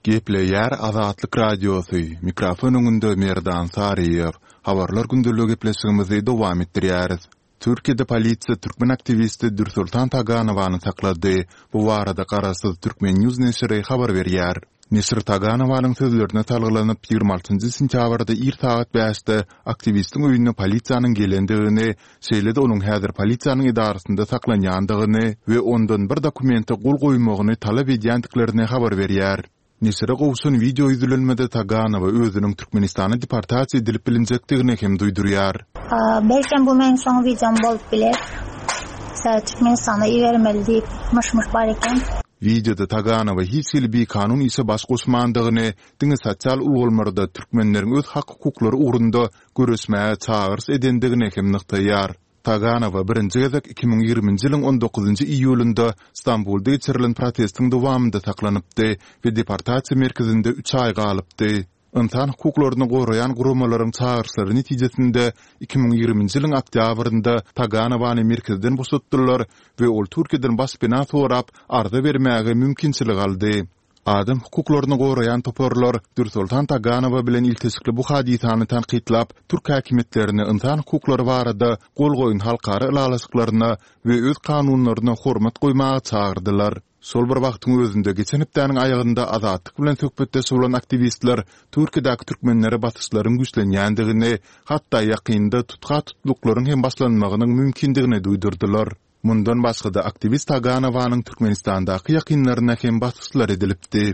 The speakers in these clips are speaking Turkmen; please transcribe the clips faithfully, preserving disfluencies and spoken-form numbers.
Gepleýär Azatlyk Radiosy, mikrofon öňünde Merdan Saryýew. Habarlar gündeligi gepleşigimizi dowam etdirýäris. Türkiýede polisiýa türkmen aktiwisti Dürsoltan Taganowany saklady. Bu barada garaşsyz Turkmen News neşiri habar berýär. Neşir Taganowanyň sözlerine salgylanyp, ýigrimi altynjy sentýabrda ir sagat bäşde aktiwistiň öýüne polisiýanyň gelendigini, şeýle-de onuň häzir polisiýanyň edarasynda saklanýandygyny we ondan bir dokumente gol goýmagyny talap edýändiklerini habar berýär. Neşire gowşan wideo ýüzlenmede Taganowa özüniň Türkmenistana deportasiýa edilip bilinjekdigini hem duýdurýar. Belkem bu meniň soňky wideom bolup biler. Türkmenistana ibermeli diýip myş-myş bar eken. Wideoda Taganowa hiç hili bikanun işe baş goşmandygyny, diňe sosial ulgamlarda türkmenleriň öz hak-hukuklary ugrunda göreşmäge çagyryş edendigini hem nygtaýar. Taganowa birinji gezek iki müň ýigriminji ýylyň on dokuzynjy iýulynda Stambulda geçirilen protestiň dowamynda saklanypdy we deportasiýa merkezinde üç aý galypdy. Ynsan hukuklaryny goraýan guramalaryň çagyryşlary netijesinde iki müň ýigriminji ýylyň oktýabrynda Taganowany merkezden boşatdylar we ol Türkiýeden başpena sorap arza bermäge mümkinçilik aldy. Adam hukuklaryny goraýan toparlar Dürsoltan Taganowa bilen ilteşikli bu hadysany tankytlap, türk häkimiýetlerini ynsan hukuklary barada gol goýan halkara ylalaşyklaryna we öz kanunlaryna hormat goýmaga çagyrdylar. Şol bir wagtyň özünde, geçen hepdäniň aýagynda Azatlyk bilen söhbetdeş bolan aktiwistler Türkiýedäki türkmenlere basyşlaryň güýçlenýändigini, hatda ýakynda tutha-tutluklaryň hem başlanmagynyň mümkindigini duýdurdylar. Mundan başga-da, aktiwist Taganowanyň Türkmenistandaky ýakynlaryna hem basyşlar edilipdi.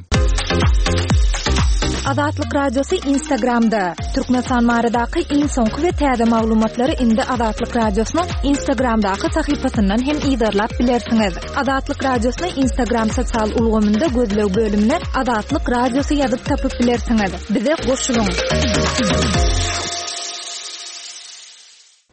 Azatlyk Radiosy Instagramda. Türkmenistan baradaky iň soňky we täze maglumatlary indi Azatlyk Radiosynyň Instagramdaky sahypasyndan hem yzarlap bilersiňiz. Azatlyk Radiosyny Instagram sosial ulgamynda gözleg bölümine Azatlyk Radiosy ýazyp tapyp bilersiňiz. Bize goşulyň.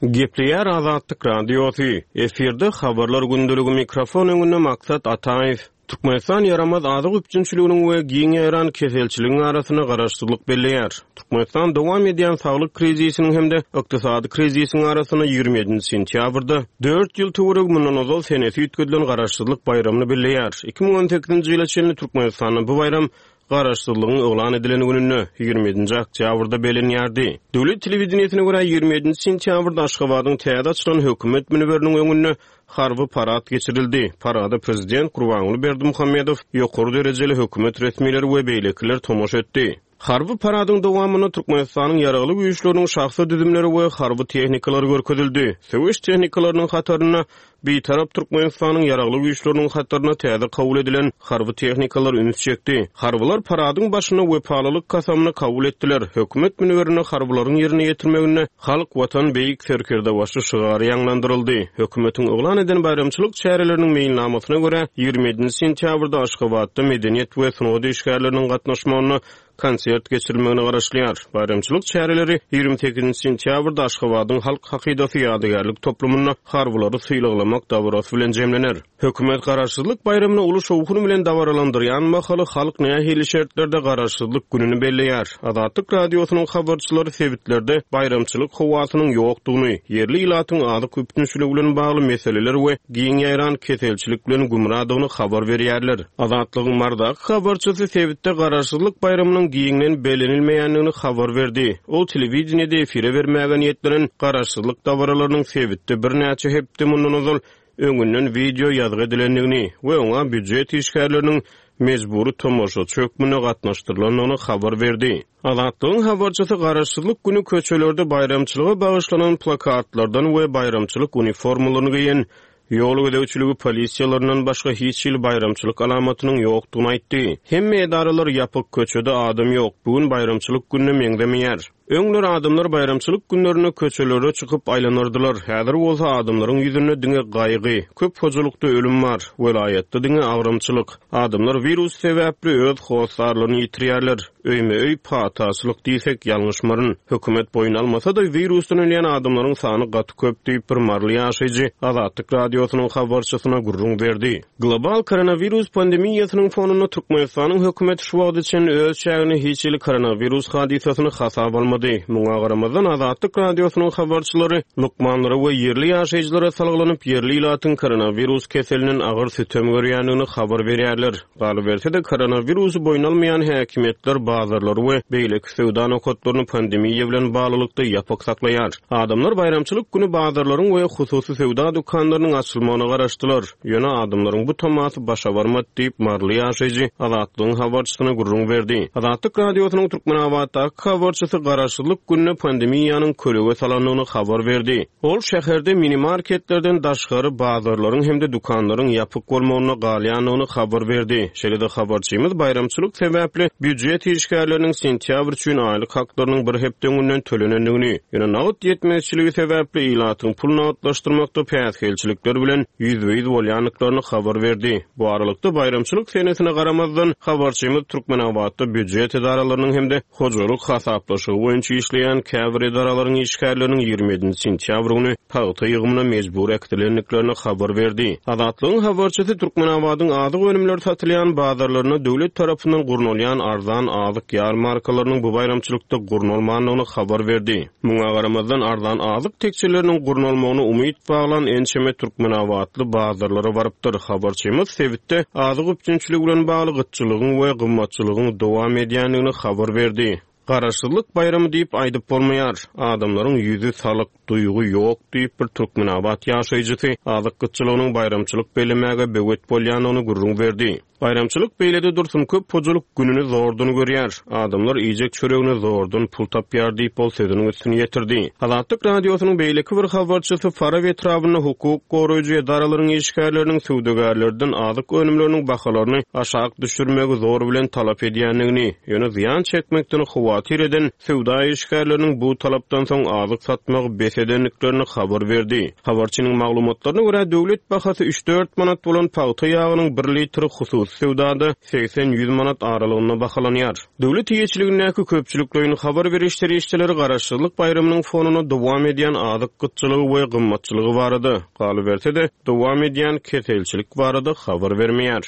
Gepleýär Azatlyk Radiosy. Efirde habarlar gündeligi mikrofon öňünde Maksat Ataýew. Türkmenistan ýaramaz azyk üpjünçiliginiň we giň ýaýran keselçiligiň arasynda garaşsyzlyk belleýär. Türkmenistan dowam edýän saglyk krizisiniň hem-de ykdysady krizisiň arasynda ýigrimi ýedinji sentýabrda dört ýyl töweregi mundan ozal senesi üýtgedilen garaşsyzlyk baýramyny belleýär. Iki müň on sekizinji ýyla çenli Türkmenistanda bu baýram Garaşsyzlygyň yglan edilen gününde, ýigrimi ýedinji oktýabrda bellenýärdi. Döwlet telewideniýesine görä, ýigrimi ýedinji sentýabrda Aşgabadyň täze açylan hökümet münberiniň öňünde harby parad geçirildi. Parada prezident Gurbanguly Berdimuhamedow, ýokary derejeli hökümet resmileri we beýlekiler tomaşa etdi. Harby paradyň dowamynda Türkmenistanyň Ýaragly Güýçleriniň şahsy düzümleri we harby tehnikalary görkezildi. Söweş tehnikalarynyň hatarynda Bitarap Türkmenistanyň Ýaragly Güýçleriniň hataryna täze kabul edilen harby tehnikalar üns çekdi. Harbylar paradyň başynda wepalylyk kasamyny kabul etdiler. Hökümet münberinde harbylaryň ýerine ýetirmeginde Halk, Watan, Beýik Serkerdebaşy şygary ýaňlandyryldy. Hökümetiň yglan eden baýramçylyk çäreleriniň meýilnamasyna görä, ýigrimi ýedinji sentýabrda Aşgabatda medeniýet we sungat işgärleriniň gatnaşmagynda konsert geçirilmegine garaşylýar. Baýramçylyk çäreleri ýigrimi sekizinji sentýabrda Aşgabadyň Halk hakydasy ýadygärlik toplumynda harbylary sylaglamak dabarasy bilen jemlener. Hökümet Garaşsyzlyk baýramyny uly şowhun bilen dabaralandyrýan mahaly halk nähili şertlerde Garaşsyzlyk gününi belleýär? Azatlyk Radiosynyň habarçylary sebitlerde baýramçylyk howasynyň ýokdugyny, ýerli ilatyň azyk üpjünçiligi bilen bagly meseleler we giň ýaýran keselçilik bilen gümradygyny habar berýärler. Azatlygyň Marydaky habarçysy sebitde Garaşsyzlyk baýramynyň giňden bellenilmeýändigini habar berdi. Ol telewideniýede efire bermäge niýetlenen Garaşsyzlyk dabaralarynyň sebitde birnäçe hepde mundan ozal öňünden wideo ýazgy edilendigini we oňa býujet işgärleriniň mejbury tomaşaçy hökmünde gatnaşdyrylandygyny habar berdi. Azatlygyň habarçysy Garaşsyzlyk güni köçelerde baýramçylyga bagyşlanan plakatlardan we baýramçylyk uniformalaryny geýen ýol gözegçiligi polisiýalaryndan başga hiç hili baýramçylyk alamatynyň ýokdugyny aýtdy. Hemme edaralar ýapyk, köçede adam ýok. Bu gün baýramçylyk gününe meňzemeýär. Öňler adamlar baýramçylyk günlerinde köçelere çykyp aýlanardylar. Häzir bolsa adamlaryň ýüzünde diňe gaýgy, köp hojalykda ölüm bar, welaýatda diňe agramçylyk. Adamlar wirus sebäpli öz hossarlaryny ýitirýärler. Öýme-öý pataçylyk diýsek ýalňyşmaryn. Hökümet boýun almasa-da wirusdan ölýän adamlaryň sany gaty köp diýip bir maryly ýaşaýjy Azatlyk Radiosynyň habarçysyna gürrüň berdi. Global koronawirus pandemiýasynyň fonunda Türkmenistanyň hökümeti şu wagta çenli öz çäginde hiç hili koronawirus hadysasyny hasaba almady. almady. Muňa garamazdan Azatlyk Radiosynyň habarçylary lukmanlara we ýerli ýaşaýjylara salgylanyp, ýerli ilatyň koronawirus keselinden agyr sütem görýändigini habar berýärler. Galyberse-de koronawirusy boýun almaýan häkimiýetler bazarlary we beýleki söwda nokatlaryny pandemiýa bilen baglylykda ýapyk saklaýar. Adamlar baýramçylyk güni bazarlaryň we hususy söwda dükanlarynyň açylmagyna garaşdylar. Ýöne adamlaryň bu tamasy başa barmady diýip Marly ýaşaýjy Azatlygyň habarçysyna gürrüň berdi. Azatlyk Radiosynyň Türkmenabatdaky habarçysy garaşsyzlyk gününe pandemiýanyň kölege salandygyny habar berdi. Ol şäherde mini marketlerden daşgary bazarlaryň hem-de dükanlaryň ýapyk bolmagyna galýandygyny habar berdi. Şeýle-de habarçymyz baýramçylyk sebäpli býujet işgärleriniň sentýabr üçin aýlyk haklarynyň bir hepde öňünden tölenendigini, ýöne nagt ýetmezçiligi sebäpli ilatyň pul nagtlaşdyrmakda päsgelçilikler bilen ýüzbe-ýüz bolýandyklaryny habar berdi. Bu aralykda baýramçylyk senesine garamazdan habarçymyz Türkmenabatda býujet edaralarynyň hem-de hojalyk hasaplaşygy boýunça işleýän käbir edaralaryň işgärleriniň ýigrimi ýedinji sentýabr güni pagta ýygymyna mejbur äkidilendiklerini habar berdi. Azatlygyň habarçysy Türkmenabadyň azyk önümleri satylýan bazarlaryna döwlet tarapyndan gurnalýan arzan azyk ýarmarkalarynyň bu baýramçylykda gurnalmandygyny habar berdi. Muňa garamazdan arzan azyk tekçeleriniň gurnalmagyna umyt baglan ençeme Türkmenabatly bazarlara barypdyr. Habarçymyz sebitde azyk üpjünçiligi bilen bagly gytçylygyň we gymmatçylygyň dowam edýändigini habar berdi. Garaşsyzlyk baýramy diýip aýdyp bolmaýar. Adamlaryň ýüzi salyk, duýgy ýok diýip bir Türkmenabat ýaşaýjysy azyk gytçylygynyň baýramçylyk bellemäge böwet bolýandygyny gürrüň berdi. Baýramçylyk beýlede dursun köp hojalyk gününi zordan görýär. Adamlar iýjek çöregini zordan pul tapýar diýip ol sözüniň üstüni ýetirdi. Azatlyk Radiosynyň beýleki bir habarçysy Farabi etrabynda hukuk goraýjy edaralaryň işgärleriniň söwdagärlerden azyk önümleriniň bahalaryny aşak düşürmegi zor bilen talap edýändigini, ýöne zyýan çekmekden howatyr eden söwda işgärleriniň bu talapdan soň azyk satmagy bes edendiklerini habar berdi. Habarçynyň maglumatlaryna görä döwlet bahasy üç dört manat bolan pagta ýagynyň bir litri hususy söwdada seksen ýüz manat aralygynda bahalanýar. Döwlet eýeçiligindäki köpçülikleýin habar beriş serişdeleri garaşsyzlyk baýramynyň fonuna dowam edýän azyk gytçylygy we gymmatçylygy barada, galyberse-de dowam edýän keselçilik barada habar bermeýär.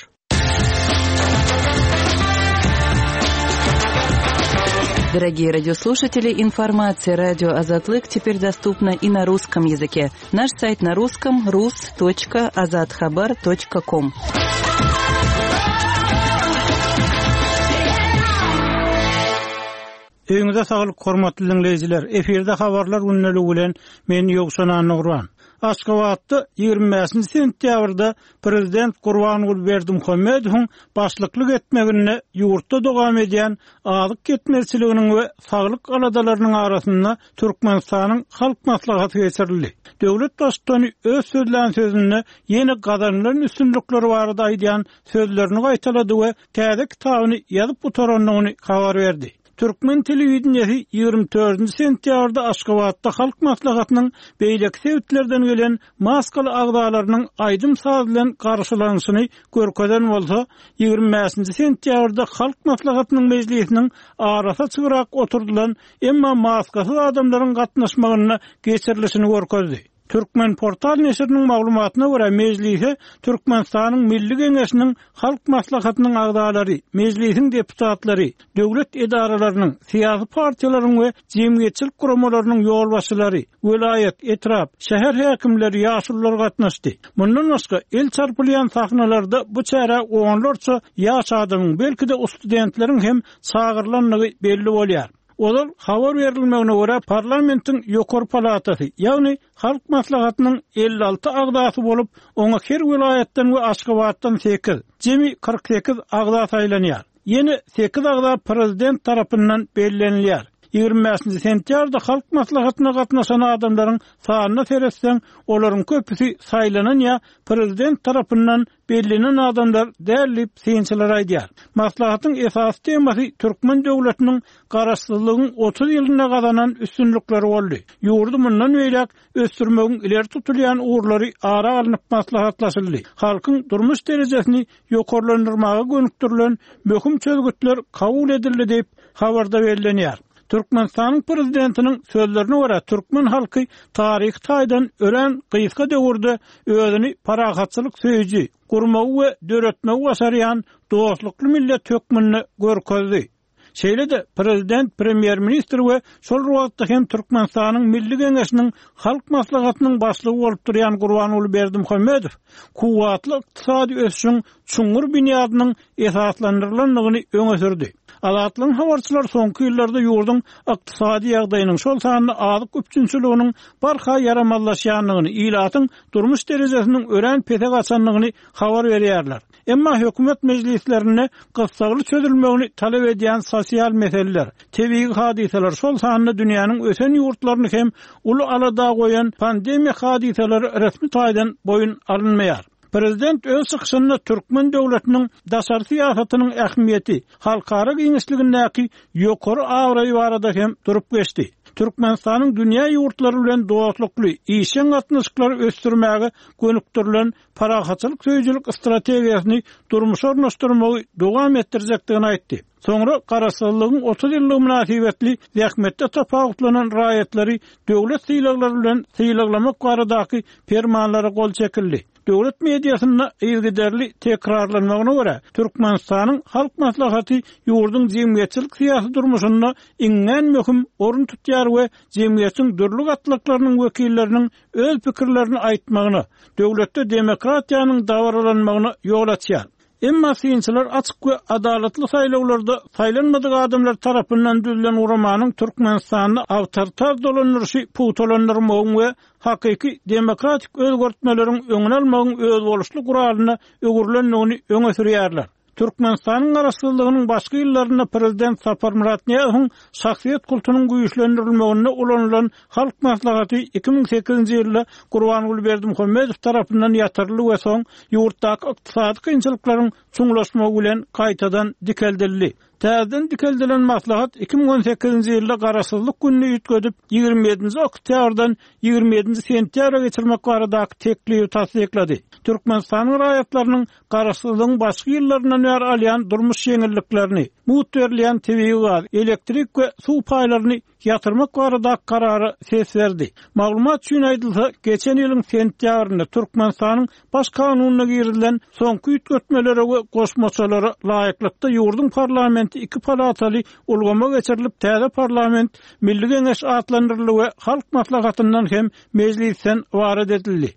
Дорогие радиослушатели, информация радио Азатлык теперь доступна и на русском языке. Наш сайт на русском rus точка azathabar точка ком. Öýüňize saglyk hormatly dinleýjiler. Efirde habarlar günlügi bilen men Ýowşan Annurban. Aşgabatda ýigrimi bäşinji sentýabrda Prezident Gurbanguly Berdimuhamedowyň başlyklyk etmeginde ýurtda dowam edýän azyk ýetmezçiliginiň we saglyk aladalarynyň arasynda Türkmenistanyň Halk Maslahaty geçirildi. Döwlet baştutany öz sözlän sözünde ýene gazanylan üstünlikler barada aýdýan sözlerini gaýtalady we täze kitabyny ýazyp gutarandygyny habar berdi. Türkmen telewideniýesi ýigrimi dördünji sentýabrda Aşgabatda Halk Maslahatynyň beýleki sebitlerden gelen maskaly agzalarynyň aýdym saz bilen garşylanyşyny görkezen bolsa, ýigrimi bäşinji sentýabrda Halk Maslahatynyň mejlisiniň arasy çygyrak oturdylan, emma maskasyz adamlaryň gatnaşmagyna geçirilişini görkezdi. Türkmen portal neşiriniň maglumatyna görä mejlise Türkmenistanyň Milli Geňeşiniň Halk Maslahatynyň agzalary, mejlisiň deputatlary, döwlet edaralarynyň, syýasy partiýalaryň we jemgyýetçilik guramalarynyň ýolbaşçylary, welaýat, etrap, şäher häkimleri, ýaşulular gatnaşdy. Mundan başga el çarpylýan sahnalarda bu çäre onlarça ýaş adamyň, belki-de studentleriň hem çagyrylandygy belli bolýar. Ozal habar berilmegine görä parlamentiň ýokary palatasy, ýagny Halk Maslahatynyň elli alty agzasy bolup, oňa her welaýatdan we Aşgabatdan sekiz, jemi kyrk sekiz agza saýlanýar. Ýene sekiz agza prezident tarapyndan bellenilýär. Ýigrimi bäşinji sentýabrda Halk Maslahatyna gatnaşan adamlaryň sanyna seretseň, olaryň köpüsi saýlanan ýa prezident tarapyndan bellenen adamlar däl diýip synçylar aýdýar. Maslahatyň esasy temasy Türkmen döwletiniň garaşsyzlygyň otuz ýylynda gazanan üstünlikleri boldy. Ýurdy mundan beýläk ösdürmegiň ileri tutulýan ugurlary ara alnyp maslahatlaşyldy. Halkyň durmuş derejesini ýokarlandyrmaga gönükdirilen möhüm çözgütler kabul edildi diýip habarda bellenýär. Türkmenistanyň prezidentiniň sözlerine görä türkmen halky taryhy taýdan örän gysga döwürde özüni parahatçylyk söýüji, gurmagy we döretmegi başarýan dostlukly millet hökmünde görkezdi. Şeýle-de prezident, premýer-ministr we şol wagtda hem Türkmenistanyň Milli Geňeşiniň Halk Maslahatynyň başlygy bolup durýan Gurbanguly Berdimuhamedow kuwwatly ykdysady ösüşiň çuňňur binýadynyň esaslandyrylandygyny öňe sürdi. Azatlygyň habarçylary soňky ýyllarda ýurduň ykdysady ýagdaýynyň, şol sanda azyk üpjünçiliginiň barha ýaramazlaşýandygyny, ilatyň durmuş derejesiniň örän pese gaçandygyny habar berýärler. Emma hökümet mejlislerinde gyssagly çözülmegini talap edýän sosial meseleler, tebigy hadysalar, şol sanda dünýäniň ösen ýurtlaryny hem uly alada goýan pandemiýa hadysalary resmi taýdan boýun alynmaýar. Prezident öz çykyşynda türkmen döwletiniň daşary syýasatynyň ähmiýeti, halkara giňişligindäki ýokary abraýy barada hem durup geçdi. Türkmenistanyň dünýä ýurtlary bilen dostlukly, işjeň gatnaşyklary ösdürmäge gönükdirilen parahatçylyk söýüjilik strategiýasyny durmuşa ornaşdyrmagy dowam etdirjekdigini aýtdy. Soňra Garaşsyzlygyň otuz ýyllygy mynasybetli zähmetde tapawutlanan raýatlary döwlet sylaglary bilen sylaglamak baradaky permanlara gol çekildi. Döwlet mediasynda yzygiderli tekrarlanmagyna görä, Türkmenistanyň Halk Maslahaty ýurduň jemgyýetçilik syýasy durmuşynda iňňän möhüm orun tutýar we jemgyýetiň dürli gatlaklarynyň wekilleriniň öz pikirlerini aýtmagyna, döwletde demokratiýanyň dabaralanmagyna ýol açýar. Emma synçylar açyk we adalatly saýlawlarda saýlanmadyk adamlar tarapyndan düzülen guramanyň Türkmenistanda awtoritar dolandyryşy pugtalandyrmagyň we hakyky demokratik özgertmeleriň öňüni almagyň özboluşly guralyna öwrülendigini öňe sürýärler. Türkmenistanyň garaşsyzlygynyň başky ýyllarynda prezident Saparmyrat Nyýazowyň şahsyýet kultunyň güýçlendirilmeginde ulanylan Halk Maslahaty iki müň sekizinji ýylda Gurbanguly Berdimuhamedow tarapyndan ýatyryldy we soň ýurtdaky ykdysady kynçylyklaryň çuňlaşmagy bilen gaýtadan dikeldildi. Täzeden dikeldilen maslahat iki müň on sekizinji ýylda garaşsyzlyk gününi üýtgedip, ýigrimi ýedinji oktýabrdan ýigrimi ýedinji sentýabra geçirmek baradaky teklibi tassyklady. Türkmenistanyň raýatlarynyň garaşsyzlygyň başky ýyllaryndan bäri alýan durmuş ýeňilliklerini, mugt berilýän tebigy gaz, elektrik we suw paýlaryny ýatyrmak baradaky karara ses berdi. Maglumat üçin aýdylsa, geçen ýylyň sentýabrynda Türkmenistanyň baş kanunyna girizilen soňky üýtgetmelere we goşmaçalara laýyklykda ýurduň parlamenti iki palataly ulgama geçirilip, täze parlament Milli Geňeş atlandyryldy we Halk Maslahatyndan hem mejlisden ybarat edildi.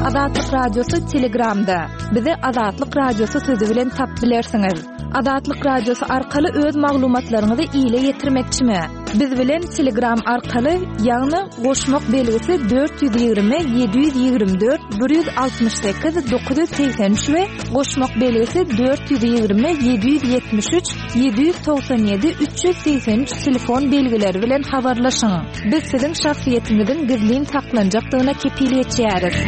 Azatlyk Radiosy Telegramda. Bizi Azatlyk Radiosy sözi bilen tap bilersiňiz. Azatlyk Radiosy arkaly öz maglumatlaryňyzy ile ýetirmekçimi? Biz bilen Telegram arkaly, ýagny goşmak belgisi dört ýüz ýigrimi ýedi ýüz ýigrimi dört bir ýüz altmyş sekiz dokuz ýüz segsen üç we goşmak belgisi dört ýüz ýigrimi ýedi ýüz ýetmiş üç ýedi ýüz togsan ýedi üç ýüz segsen üç telefon belgileri bilen habarlaşyň. Biz siziň şahsyýetiňiziň gizlin saklanjakdygyna kepil geçýäris.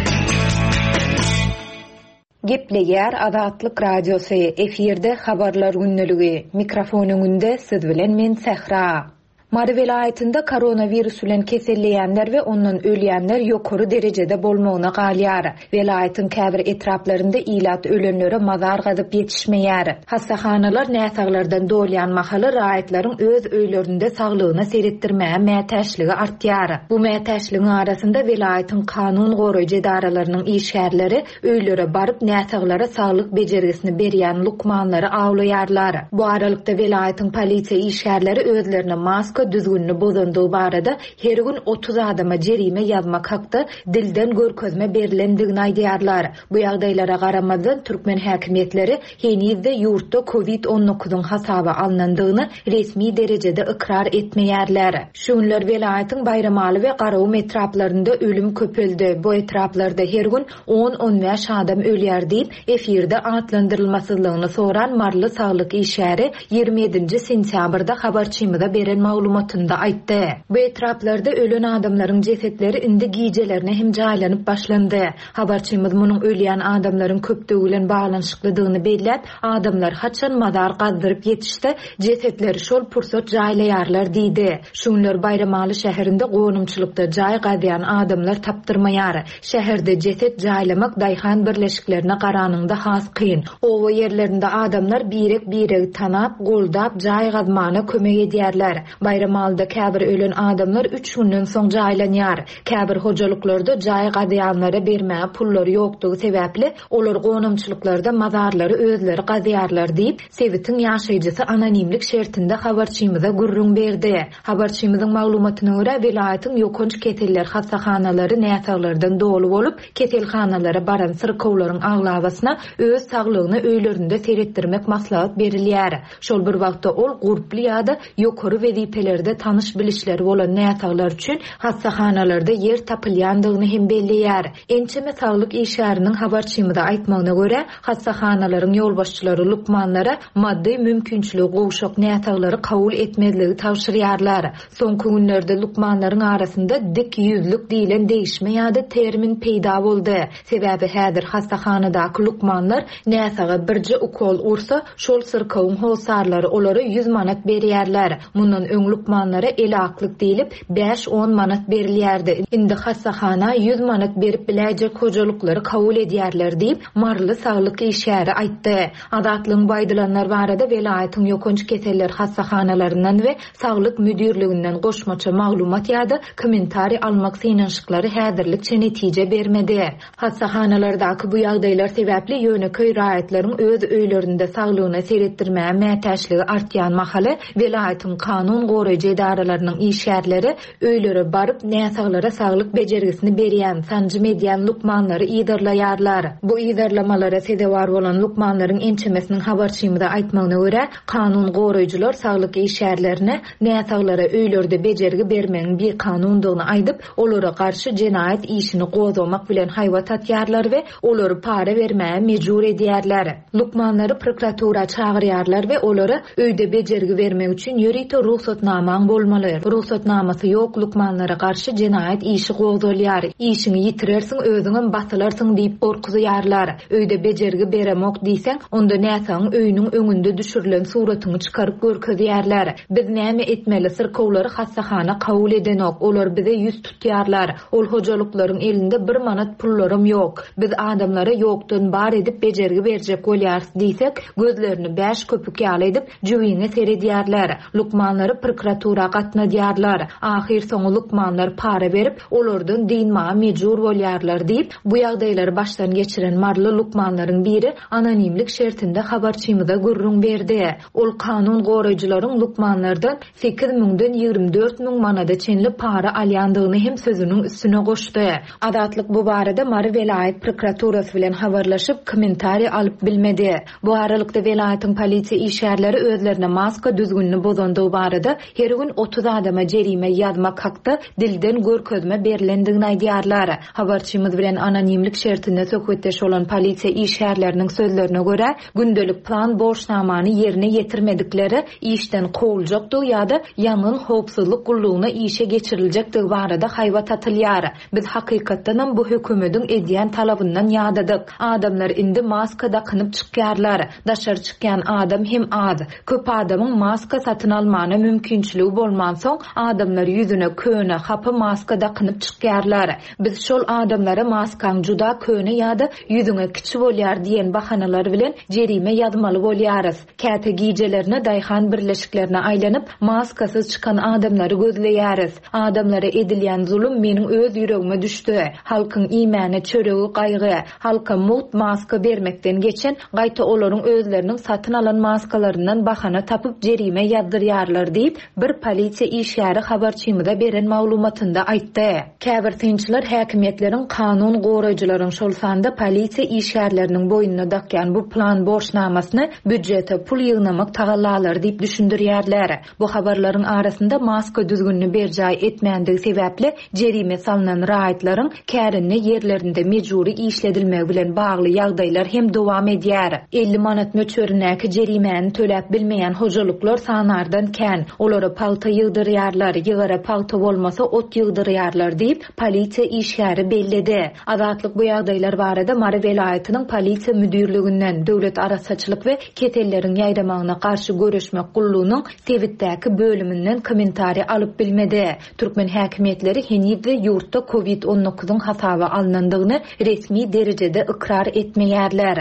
Gepleýär Azatlyk Radiosy, efirde habarlar gündeligi. Mikrofon öňünde siz bilen men Sähra. Mary welaýatynda koronavirus bilen keselleýänler we ondan ölýänler ýokary derejede bolmagyna galýar. Welaýatyň käbir etraplarynda ilat ölenlere mazar gazyp ýetişmeýär. Hassahanalar näsaglardan dolýan mahaly raýatlaryň öz öýlerinde saglygyna seretdirmäge mätäçligi artýar. Bu mätäçligiň arasynda welaýatyň kanun goraýjy edaralarynyň işgärleri öýlere baryp näsaglara saglyk bejergisini berýän lukmanlary awlaýarlar. Bu aralykda welaýatyň polisiýa işgärleri özlerine maska düzgünini bozandygy barada her gün otuz adama jerime ýazmak hakda dilden görkezme berilendigini aýdýarlar. Bu ýagdaýlara garamazdan türkmen häkimiýetleri henizde ýurtda kovid on dokuzyň hasaba alnandygyny resmi derejede ykrar etmeýärler. Şu günler welaýatyň Baýramaly we Garagum etraplarynda ölüm köpeldi. Bu etraplarda her gün on on bäş adam ölýär diýip, efirde atlandyrylmasyzlygyny soran Marly saglyk işgäri ýigrimi ýedinji sentýabrda habarçymyza beren maglumatynda aýtdy. Bu etraplarda ölen adamlaryň jesetleri indi gijelerine hem jaýlanyp başlandy. Habarçymyz munuň ölýän adamlaryň köpdügi bilen baglanyşyklydygyny belläp, adamlar haçan mazar gazdyryp ýetişse, jesetleri şol pursat jaýlaýarlar diýdi. Şu günler Baýramaly şäherinde gonamçylykda jaý gazýan adamlar tapdyrmaýar. Şäherde jeset jaýlamak daýhan birleşiklerine garanyňda has kyn. Owa ýerlerinde adamlar birek-biregi tanap, goldap jaý gazmana kömek edýärler. Baýramalyda käbir ölen adamlar üç günden soň jaýlanýar. Käbir hojalyklarda jaý gazýanlara bermäge pullary ýokdugy sebäpli olar gonamçylyklarda mazarlary özleri gazýarlar diýip, sebitiň ýaşaýjysy anonimlik şertinde habarçymyza gürrüň berdi. Habarçymyzyň maglumatyna görä, welaýatyň ýokanç keseller hassahanalary näsaglardan doly bolup, keselhanalara baran syrkawlaryň aglabasyna öz saglygyna öýlerinde seretdirmek maslahat berilýär. Şol bir wagtda ol gurply ýa-da ýokary wezipelerde tanyş bilişleri bolan näsaglar üçin hassahanalarda ýer tapylýandygyny hem belleýär. Ençeme saglyk işgäriniň habarçymyza aýtmagyna görä, hassahanalaryň ýolbaşçylary lukmanlara maddy mümkinçiligi gowşak näsaglary kabul etmezligi tabşyrýarlar. Soňky günlerde lukmanlaryň arasynda dik ýüzlük diýlen degişme ýa-da termin peýda boldy. Sebäbi häzir hassahanadaky lukmanlar näsaga birje ukol ursa, şol syrkawyň hossarlary olara ýüz manat berýärler. Mundan öň lukmanlara elaklyk diýlip bäş on manat berilýärdi. Indi hassahana ýüz manat berip biläýjek hojalyklary kabul edýärler diýip, Maryly saglyk işgäri aýtdy. Azatlygyň bu aýdylanlar barada welaýatyň ýokanç keseller hassahanalaryndan we saglyk müdirliginden goşmaça maglumat ýa-da kommentariý almak synanyşyklary häzirlikçe netije bermedi. Hassahanalardaky bu ýagdaýlar sebäpli ýöneköý raýatlaryň öz öýlerinde saglygyna seretdirmäge mätäçligi artýan mahaly welaýatyň kanun goraýjy edaralarynyň işgärleri öýlere baryp näsaglara saglyk bejergisini berýän, sanjym edýän lukmanlary yzarlaýarlar. Bu yzarlamalara sezewar bolan lukmanlaryň ençemesiniň habarçymyza aýtmagyna görä, kanun goraýjylar saglyk işgärlerine näsaglara öýlerde bejergi bermegiň bikanundygyny aýdyp, olara garşy jenaýat işini gozgamak bilen haýbat atýarlar we olary para bermäge mejbur edýärler. Lukmanlary prokuratura çagyrýarlar we olara öýde bejergi bermek üçin ýörite ruhsatnamaň bolmaly. Ruhsatnamasy ýok lukmanlara garşy jenaýat işi gozgalýar. Işiňi ýitirersiň, özüňem basylarsyň diýip gorkuzýarlar. Öýde bejergi beremok diýseň, onda näsagyň öýüniň öňünde düşürilen suratyňy çykaryp görkezýärler. Biz näme etmeli? Syrkawlary hassahana kabul edenok. Olar bize ýüz tutýarlar. Ol hojalyklaryň elinde bir manat pullarym ýok. Biz adamlara ýokdan bar edip bejergi berjek bolýarys diýsek, gözlerini bäş köpük ýaly edip jüwiňe seredýärler. Lukmanlary prokuratura gatnadýarlar. Ahyr soňy lukmanlar para berip, olardan dynmaga mejbur bolýarlar diýip, bu ýagdaýlary başdan geçiren Maryly lukmanlaryň biri anonimlik şertinde habarçymyza gürrüň berdi. Ol kanun goraýjylaryň lukmanlardan sekiz müňden ýigrimi dört müň manada çenli para alýandygyny hem sözüniň üstüne goşdy. Azatlyk bu barada Mary welaýat prokuraturasy bilen habarlaşyp, kommentariý alyp bilmedi. Bu aralykda welaýatyň polisiýa işgärleri özlerine maska düzgünini bozandygy barada her gün otuz adama jerime ýazmak hakda dilden görkezme berilendigini aýdýarlar. Habarçymyz bilen anonimlik şertinde söhbetdeş bolan polisiýa işgärleriniň sözlerine görä, gündelik plan borçnamany ýerine ýetirmedikleri işden kowuljakdygy ýa-da ýangyn howpsuzlyk gullugyna işe geçiriljekdigi barada haýbat atylýar. Biz hakykatdanam bu hökümetiň edýän talabyndan ýadadyk. Adamlar indi maska dakynyp çykýarlar. Daşary çykýan adam hem az. Köp adamyň maska satyn almana mümkinçiligi bolmansoň, adamlar ýüzüne köne, hapa maska dakynyp çykýarlar. Biz şol adamlara maskaň juda köne ýa-da ýüzüňe kiçi bolýar diýen bahanalar bilen jerime ýazmaly bolýarys. Käte gijelerine daýhan birleşiklerine aýlanyp, maskasyz çykan adamlary gözleýäris. Adamlara edilýän zulum meniň öz ýüregime düşdi. Halkyň iýmäne çöregi gaýgy, halka mugt maska bermekden geçen, gaýta olaryň özleriniň satyn alan maskalaryndan bahana tapyp jerime ýazdyrýarlar diýip, bir polisiýa işgäri habarçymyza beren maglumatynda aýtdy. Käbir synçylar häkimiýetleriň kanun goraýjylaryň şol sanda polisiýa işgärleriniň boýnuna dakýan bu plan borçnamasyny býudjete pul ýygnamak tagallalary diýip düşündirýärler. Bu habarlaryň arasynda maska düzgünini berjaý etmändigi sebäpli jerime salynan raýatlaryň kärende ýerlerinde mejbury işledilmegi bilen bagly ýagdaýlar hem dowam edýär. elli manat möçberindäki jerimäni töläp bilmeýän hojalyklar sanardan kän. Olara pagta ýygdyrýarlar, ýygara pagta bolmasa ot ýygdyrýarlar diýip, polisiýa işgäri belledi. Azatlyk bu ýagdaýlar barada Mary welaýatynyň polisiýa müdirliginden, döwlet arassaçylyk we keselleriň ýaýramagyna garşy göreşmek gullugynyň sebitdäki bölüminden kommentariý alyp bilmedi. Türkmen häkimiýetleri henizde ýurtda kovid on dokuzyň hasaba alnandygyny resmi derejede ykrar etmeýärler.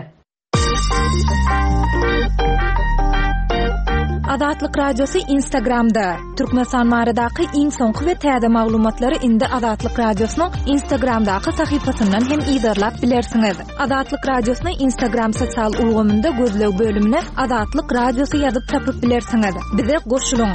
Azatlyk Radiosy Instagramda. Türkmenistan baradaky iň soňky we täze maglumatlary indi Azatlyk Radiosynyň Instagramdaky sahypasyndan hem yzarlap bilersiňiz. Azatlyk Radiosyny Instagram sosial ulgamynda gözleg bölümine Azatlyk Radiosy ýazyp tapyp bilersiňiz. Bize goşulyň.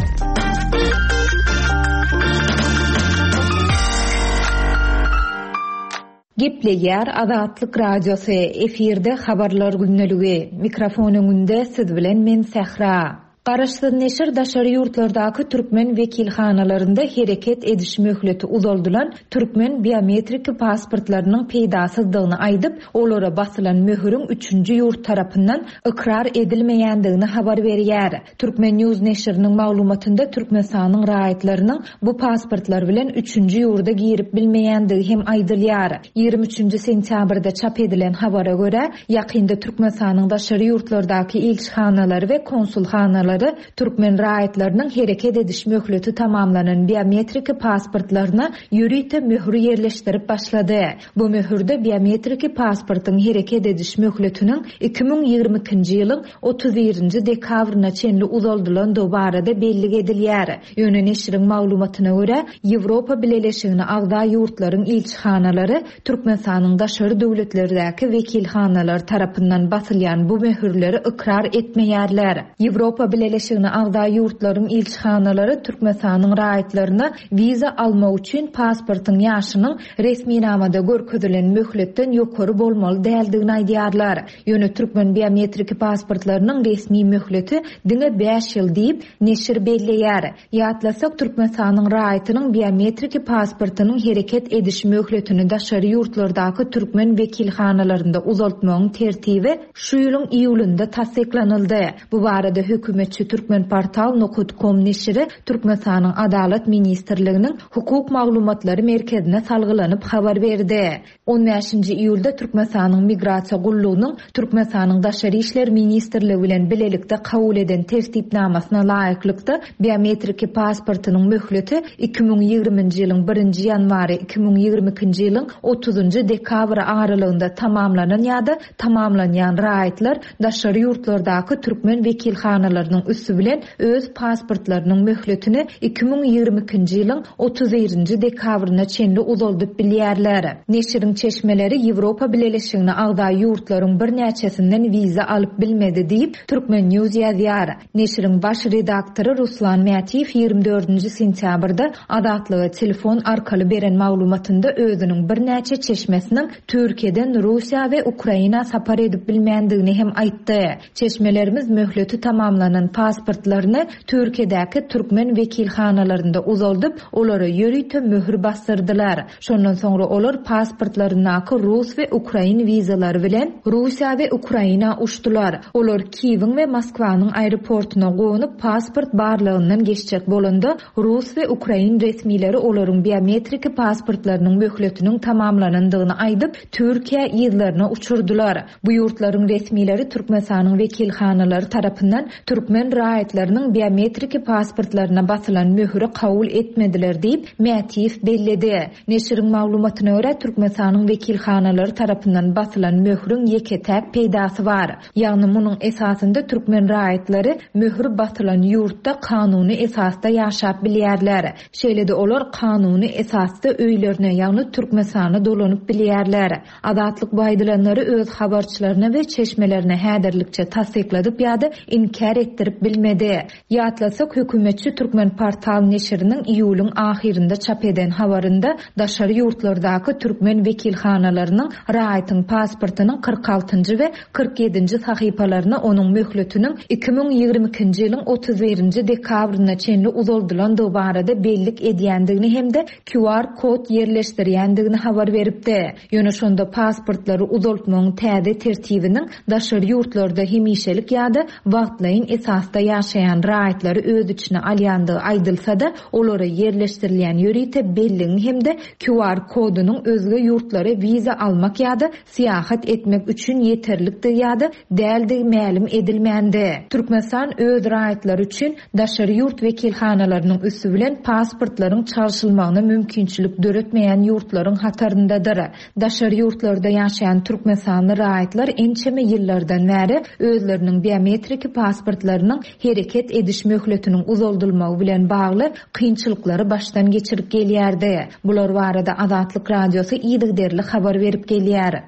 Gepleýär Azatlyk Radiosy, efirde habarlar gündeligi. Mikrofon öňünde siz bilen men Sähra. Garaşsyz neşir daşary ýurtlardaky türkmen wekilhanalarynda hereket ediş möhleti uzaldylan türkmen biometrik pasportlarynyň peýdasyzdygyny aýdyp, olara basylan möhüriň üçünji ýurt tarapyndan ykrar edilmeýändigini habar berýär. Türkmen News neşiriniň maglumatynda Türkmenistanyň raýatlarynyň bu pasportlar bilen üçünji ýurda girip bilmeýändigi hem aýdylýar. Ýigrimi üçünji sentýabrda çap edilen habara görä, ýakynda Türkmenistanyň daşary ýurtlardaky ilçihanalary we konsulhanalary türkmen raýatlarynyň hereket ediş möhleti tamamlanan biometrik pasportlaryna ýörite möhür ýerleşdirip başlady. Bu möhürde biometrik pasportyň hereket ediş möhletiniň iki müň ýigrimi ikinji ýylyň otuz birinji dekabryna çenli uzaldylandygy barada bellik edilýär. Ýöne neşiriň maglumatyna görä, Ýewropa Bileleşigine agza ýurtlaryň ilçihanalary Türkmenistanyň daşary döwletlerdäki wekilhanalary tarapyndan basylýan bu möhürleri ykrar etmeýärler. Ýewropa Bileleşigine agza ýurtlaryň ilçihanalary Türkmenistanyň raýatlaryna wiza almak üçin pasportyň ýaşynyň resminamada görkezilen möhletden ýokary bolmaly däldigini aýdýarlar. Ýöne türkmen biometrik pasportlarynyň resmi möhleti diňe bäş ýyl diýip neşir belleýär. Ýatlasak, Türkmenistanyň raýatynyň biometrik pasportynyň hereket ediş möhletini daşary ýurtlardaky türkmen wekilhanalarynda uzaltmagyň tertibi şu ýylyň iýulynda tassyklanyldy. Bu barada hökümetçi Türkmenportal nokta com neşiri Türkmenistanyň Adalat Ministrliginiň Hukuk maglumatlary merkezine salgylanyp habar berdi. On bäşinji iýulda Türkmenistanyň Migrasiýa gullugynyň Türkmenistanyň Daşary işler Ministrligi bilen bilelikde kabul eden tertipnamasyna laýyklykda biometrik pasportynyň möhleti iki müň ýigriminji ýylyň birinji ýanwary iki müň ýigrimi ikinji ýylyň otuzynjy dekabr aralygynda tamamlanan ýa-da tamamlanýan raýatlar daşary ýurtlardaky türkmen wekilhanalarynyň üsti bilen öz pasportlarynyň möhletini iki müň ýigrimi ikinji ýylyň otuz birinji dekabryna çenli uzaldyp bilýärler. Neşiriň çeşmeleri Ýewropa Bileleşigine agza ýurtlaryň birnäçesinden wiza alyp bilmedi diýip Türkmen News ýazýar. Neşiriň baş redaktory Ruslan Mätiýew ýigrimi dördünji sentýabrda Azatlyga telefon arkaly beren maglumatynda özüniň birnäçe çeşmesiniň Türkiýeden Russiýa we Ukraina sapar edip bilmändigini hem aýtdy. Çeşmelerimiz möhleti tamamlanan pasportlaryny Türkiýedäki türkmen wekilhanalarynda uzaldyp, olara ýörite möhür basdyrdylar. Şondan soňra olar pasportlaryndaky Rus we Ukrain wizalary bilen Russiýa we Ukraina uçdular. Olar Kiýewiň we Moskwanyň aeroportuna gonup pasport barlygyndan geçjek bolanda Rus we Ukrain resmileri olaryň biometrik pasportlarynyň möhletiniň tamamlanandygyny aýdyp, Türkiýe ýyllaryna uçurdylar. Bu ýurtlaryň resmileri Türkmenistanyň wekilhanalary tarapyndan türkmen raýatlarynyň biometrik pasportlaryna basylan möhüri kabul etmediler diýip Mätiýew belledi. Neşiriň maglumatyna görä, Türkmenistanyň wekilhanalary tarapyndan basylan möhüriň ýeke-täk peýdasy bar. Ýagny munuň esasynda türkmen raýatlary möhür basylan ýurtda kanuny esasda ýaşap bilýärler. Şeýle-de olar kanuny esasda öýlerine, ýagny Türkmenistana dolanyp bilýärler. Azatlyk bu aýdylanlary öz habarçylaryna we çeşmelerine häzirlikçe tassykladyp ýa-da inkär etdirip bilmedi. Ýatlasak, hökümetçi Türkmenportal neşiriniň iýulyň ahyrynda çap eden habarynda daşary ýurtlardaky türkmen wekilhanalarynyň raýatyň pasportynyň kyrk altynjy we kyrk ýedinji sahypalaryna onuň möhletiniň iki müň ýigrimi ikinji ýylyň otuz birinji dekabryna çenli uzaldylandygy barada bellik edýändigini hem-de Q R kod ýerleşdirýändigini habar beripdi. Ýöne şonda pasportlary uzaltmagyň täze tertibiniň daşary ýurtlarda hemişelik ýa-da wagtlaýyn esasda ýaşaýan raýatlary öz içine alýandygy aýdylsa-da, olara ýerleşdirilýän ýörite belligiň hem-de Q R kodunyň özge ýurtlara wiza almak ýa-da syýahat etmek üçin ýeterlikdigi ýa-da däldigi mälim edilmändi. Türkmenistan öz raýatlary üçin daşary ýurt wekilhanalarynyň üsti bilen pasportlaryň çalşylmagyna mümkinçilik döretmeýän ýurtlaryň hataryndadyr. Daşary ýurtlarda ýaşaýan Türkmenistanly raýatlar ençeme ýyllardan bäri özleriniň biometrik pasportlaryny rugsatnamalarynyň hereket ediş möhletiniň uzaldylmagy bilen bagly kynçylyklary başdan geçirip gelýärdi. Bular barada Azatlyk Radiosy yzygiderli habar berip gelýär.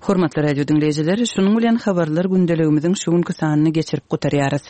Hormatly radio diňleýjiler, şunuň bilen habarlar gündeligimiziň şu günki sanyny geçirip gutarýarys.